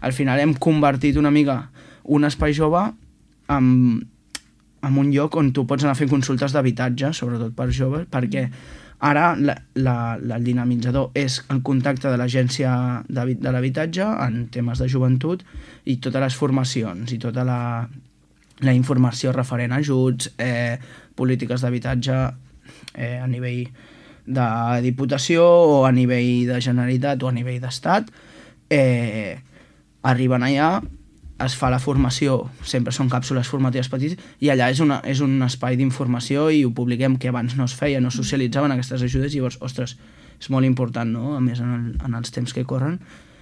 al final hem convertit una mica un espai jove en un lloc on tu pots anar a fer consultes d'habitatge, sobretot per joves, perquè ara el dinamitzador és el contacte de l'agència de l'habitatge en temes de joventut i totes les formacions i tota la informació referent a ajuts, polítiques d'habitatge a nivell de Diputació o a nivell de Generalitat o a nivell d'Estat, arriben allà, es fa la formació, sempre són càpsules formatives petites, i allà és un espai d'informació i ho publiquem, que abans no es feia, no socialitzaven aquestes ajudes, i llavors, ostres, és molt important, no? A més en els temps que corren,